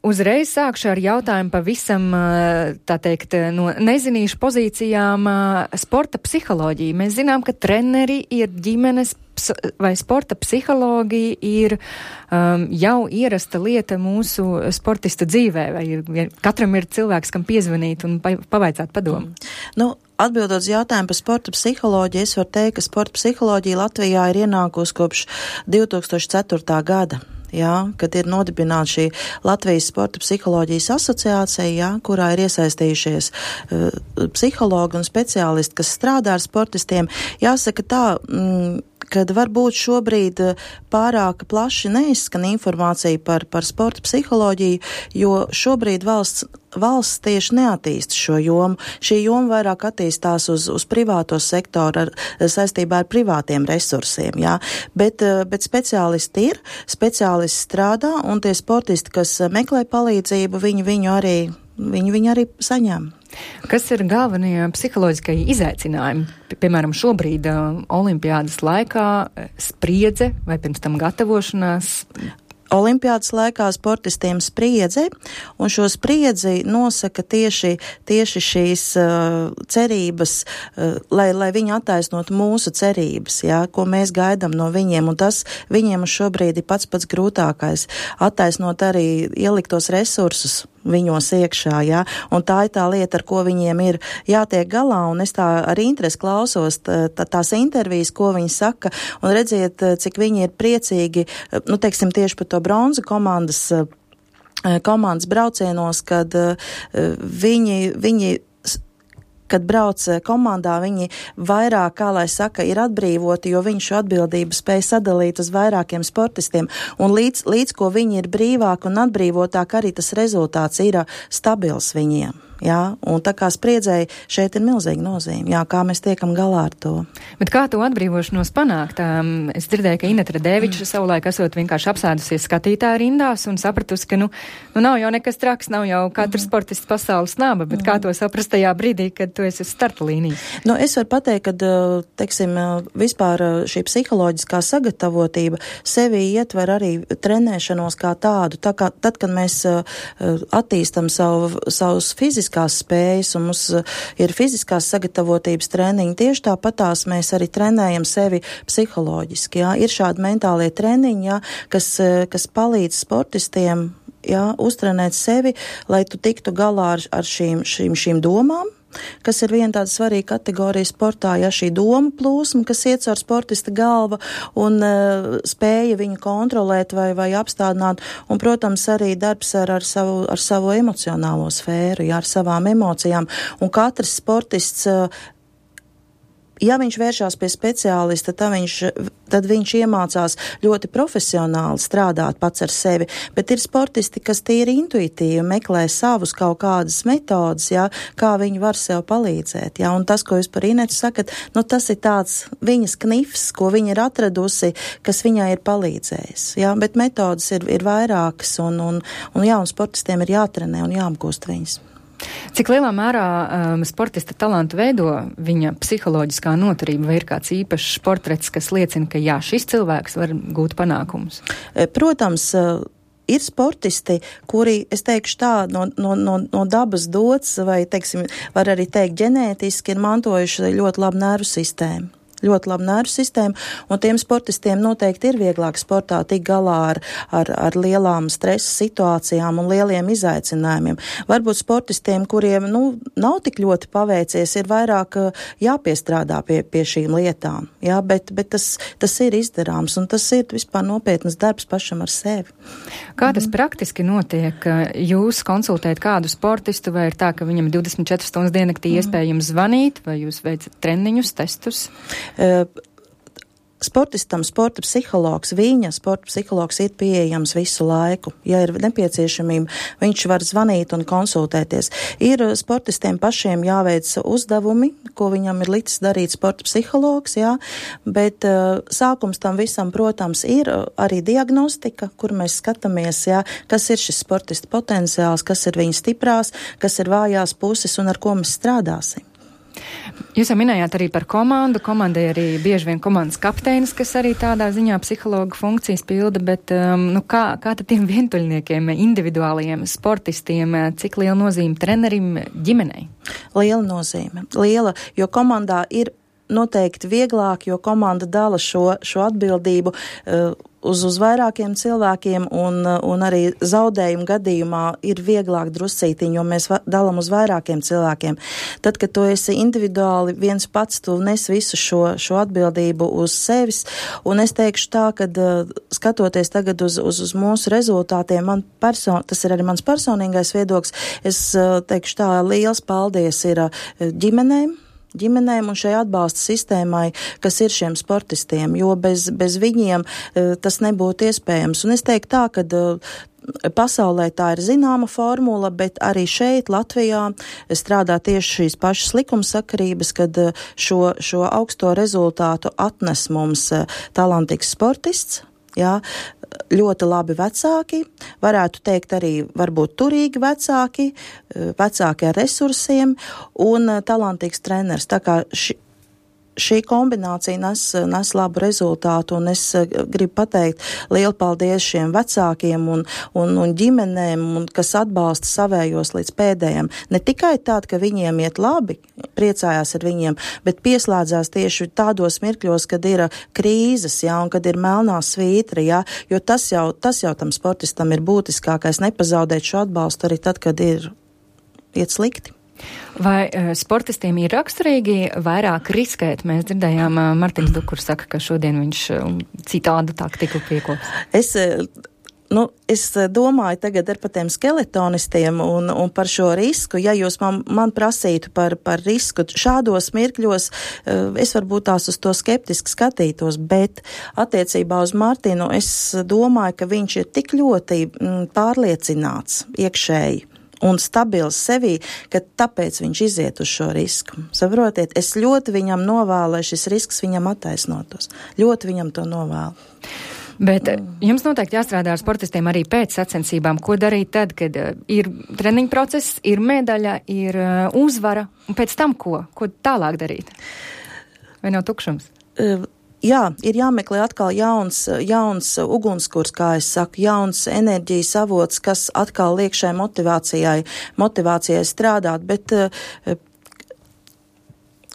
Uzreiz sākšu ar jautājumu pavisam, tā teikt, no nezinīšu pozīcijām sporta psiholoģija. Mēs zinām, ka treneri ir ģimenes vai sporta psihologi ir jau ierasta lieta mūsu sportista dzīvē, vai katram ir cilvēks, kam piezvanīt un pavaicāt padomu? Atbildot uz jautājumu par sporta psiholoģiju, es varu teikt, ka sporta psiholoģija Latvijā ir ienākusi kopš 2004. gada. Jā, kad ir nodibināta šī Latvijas sporta psiholoģijas asociācija, jā, kurā ir iesaistījušies psihologi un speciālisti, kas strādā ar sportistiem. Jāsaka tā, kad varbūt šobrīd pārāk plaši neizskan informācija par sporta psiholoģiju, jo šobrīd valsts tieši neattīsta šo jomu. Šī joma vairāk attīstās uz privāto sektoru saistībā ar privātiem resursiem, jā. Bet speciālisti ir, speciālisti strādā, un tie sportisti, kas meklē palīdzību, viņu arī saņem. Kas ir galvenie psiholoģiskie izaicinājumi? Piemēram, šobrīd olimpiādas laikā spriedze vai pirms tam gatavošanās? Olimpiādas laikā sportistiem spriedze, un šo spriedzi nosaka tieši šīs cerības, lai viņi attaisnotu mūsu cerības, jā, ko mēs gaidām no viņiem, un tas viņiem šobrīd ir pats grūtākais - attaisnot arī ieliktos resursus viņos iekšā, jā, un tā ir tā lieta, ar ko viņiem ir jātiek galā, un es tā ar interesi klausos tās intervijas, ko viņi saka, un redziet, cik viņi ir priecīgi, teiksim, tieši par to bronzu komandas braucienos, kad viņi kad brauc komandā, viņi vairāk, kā lai saka, ir atbrīvoti, jo viņi šo atbildību spēj sadalīt uz vairākiem sportistiem. Un līdz ko viņi ir brīvāki un atbrīvotāk, arī tas rezultāts ir stabils viņiem. Jā, un tā kā spriedzēji šeit ir milzīga nozīme, jā, kā mēs tiekam galā ar to. Bet kā to atbrīvošanos panākt? Es dzirdēju, ka Ineta Radēviča savulaik esot vienkārši apsēdusies skatītāju rindās un sapratusi, ka nav jau nekas traks, nav jau katrs sportists pasaules naba, bet kā to saprast tajā brīdī, kad tu esi uz starta līnijas? Es varu pateikt, ka, teiksim, vispār šī psiholoģiskā sagatavotība sevi ietver arī trenēšanos kā tādu. Tad, kad mēs attīstam savus fiziskās spējas, un mums ir fiziskās sagatavotības treniņi, tieši tāpatās mēs arī trenējam sevi psiholoģiski, jā. Ir šādi mentālie treniņi, jā, kas palīdz sportistiem, jā, uztrenēt sevi, lai tu tiktu galā ar šīm domām, kas ir viena tāda svarīga kategorija sportā, ja šī doma plūsma, kas iet caur sportista galva un spēja viņu kontrolēt vai apstādināt, un, protams, arī darbs ar savu emocionālo sfēru, ja, ar savām emocijām, un katrs sportists, ja viņš vēršās pie speciālista, tad viņš iemācās ļoti profesionāli strādāt pats ar sevi, bet ir sportisti, kas tīri intuitīvi meklē savus kaut kādas metodas, jā, kā viņi var sev palīdzēt, jā, un tas, ko jūs par Inetu sakat, tas ir tāds viņas knifs, ko viņa ir atradusi, kas viņai ir palīdzējis, jā, bet metodas ir vairākas, un sportistiem ir jātrenē un jāapgūst viņas. Cik lielā mērā sportista talantu veido viņa psiholoģiskā noturība, vai ir kāds īpašs portrets, kas liecina, ka jā, šis cilvēks var gūt panākumus? Protams, ir sportisti, kuri, es teikšu tā, no dabas dots, vai, teiksim, var arī teikt ģenētiski, ir mantojuši ļoti labu nervu sistēmu. Un tiem sportistiem noteikti ir vieglāk sportā tik galā ar lielām stresa situācijām un lieliem izaicinājumiem. Varbūt sportistiem, kuriem, nav tik ļoti paveicies, ir vairāk jāpiestrādā pie šīm lietām, jā, bet tas ir izdarāms, un tas ir vispār nopietnas darbs pašam ar sevi. Kā tas praktiski notiek? Jūs konsultējat kādu sportistu, vai ir tā, ka viņam 24 stundas diennaktī iespējams zvanīt, vai jūs veicat treniņus, testus? Sportistam sporta psihologs ir pieejams visu laiku. Ja ir nepieciešamība, viņš var zvanīt un konsultēties. Ir sportistiem pašiem jāveic uzdevumi, ko viņam ir licis darīt sporta psihologs, jā, bet sākums tam visam, protams, ir arī diagnostika, kur mēs skatāmies, jā, kas ir šis sportista potenciāls, kas ir viņa stiprās, kas ir vājās puses un ar ko mēs strādāsim. Jūs jau minējāt arī par komandu. Komandai arī bieži vien komandas kapteinis, kas arī tādā ziņā psihologa funkcijas pilda, bet kā tad tiem vientuļniekiem, individuālajiem sportistiem, cik liela nozīme trenerim ģimenei? Liela nozīme. Liela, jo komandā ir noteikti vieglāk, jo komanda dala šo atbildību uz vairākiem cilvēkiem un arī zaudējumu gadījumā ir vieglāk druscītiņi, jo mēs dalam uz vairākiem cilvēkiem. Tad, kad tu esi individuāli viens pats, tu nes visu šo atbildību uz sevis, un es teikšu tā, kad skatoties tagad uz mūsu rezultātiem, tas ir arī mans personīgais viedoklis, es teikšu tā, liels paldies ir ģimenēm un šai atbalsta sistēmai, kas ir šiem sportistiem, jo bez viņiem tas nebūtu iespējams. Un es teiktu tā, ka pasaulē tā ir zināma formula, bet arī šeit Latvijā strādā tieši šīs pašas likumsakarības, kad šo augsto rezultātu atnes mums talantīgs sportists, jā, ļoti labi vecāki, varētu teikt arī varbūt turīgi vecāki ar resursiem un talantīgs treneris. Tā kā šī kombinācija nes labu rezultātu, un es gribu pateikt lielu paldies šiem vecākiem un ģimenēm, kas atbalsta savējos līdz pēdējiem. Ne tikai tād, ka viņiem iet labi, priecājās ar viņiem, bet pieslēdzās tieši tādos mirkļos, kad ir krīzes, jā, un kad ir melnā svītra, jā, jo tas jau tam sportistam ir būtiskākais, nepazaudēt šo atbalstu arī tad, kad iet slikti. Vai sportistiem ir raksturīgi vairāk riskēt? Mēs dzirdējām, Martins Dukurs saka, ka šodien viņš citādu taktiku piekops. Es domāju tagad ar par tiem skeletonistiem un par šo risku. Ja jūs man prasītu par risku šādos mirkļos, es varbūt tās uz to skeptiski skatītos, bet attiecībā uz Martinu es domāju, ka viņš ir tik ļoti pārliecināts iekšēji un stabils sevī, ka tāpēc viņš iziet uz šo risku. Saprotiet, es ļoti viņam novēlu, lai šis risks viņam attaisnotos. Ļoti viņam to novēlu. Bet jums noteikti jāstrādā ar sportistiem arī pēc sacensībām. Ko darīt tad, kad ir treniņu process, ir medaļa, ir uzvara, un pēc tam ko? Ko tālāk darīt? Vai nav tukšums? Jā, ir jāmeklē atkal jauns ugunskurs, kā es saku, jauns enerģijas avots, kas atkal liek šai motivācijai strādāt, bet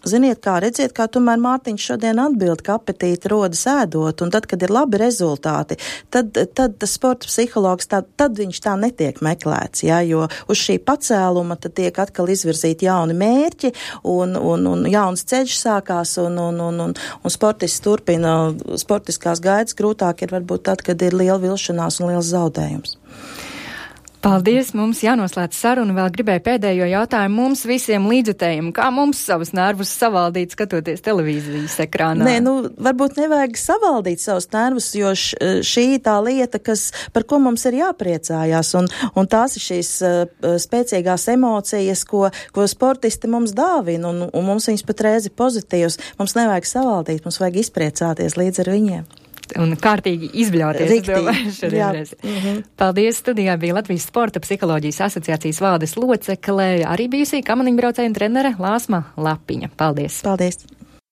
ziniet, redziet, kā tomēr Mārtiņš šodien atbild, ka apetīti rodas ēdot, un tad, kad ir labi rezultāti, tad tas sporta psihologs, tad viņš tā netiek meklēts, jā, jo uz šī pacēluma tad tiek atkal izvirzīti jauni mērķi, un jauns ceļš sākās, un sportists turpina sportiskās gaitas. Grūtāk ir varbūt tad, kad ir liela vilšanās un liels zaudējums. Paldies, mums jānoslēdz saruna. Vēl gribēju pēdējo jautājumu mums visiem līdzjutējiem. Kā mums savus nervus savaldīt, skatoties televīzijas ekrānā? Varbūt nevajag savaldīt savus nervus, jo šī tā lieta, par ko mums ir jāpriecājās, un tās ir šīs spēcīgās emocijas, ko sportisti mums dāvina, un mums viņas pat reizi pozitīvas. Mums nevajag savaldīt, mums vajag izpriecāties līdz ar viņiem. Un kārtīgi izbļauties. Paldies, studijā bija Latvijas Sporta psiholoģijas asociācijas valdes locekle, arī bijusī kamaniņbraucēja un trenere Lāsma Lapiņa. Paldies! Paldies!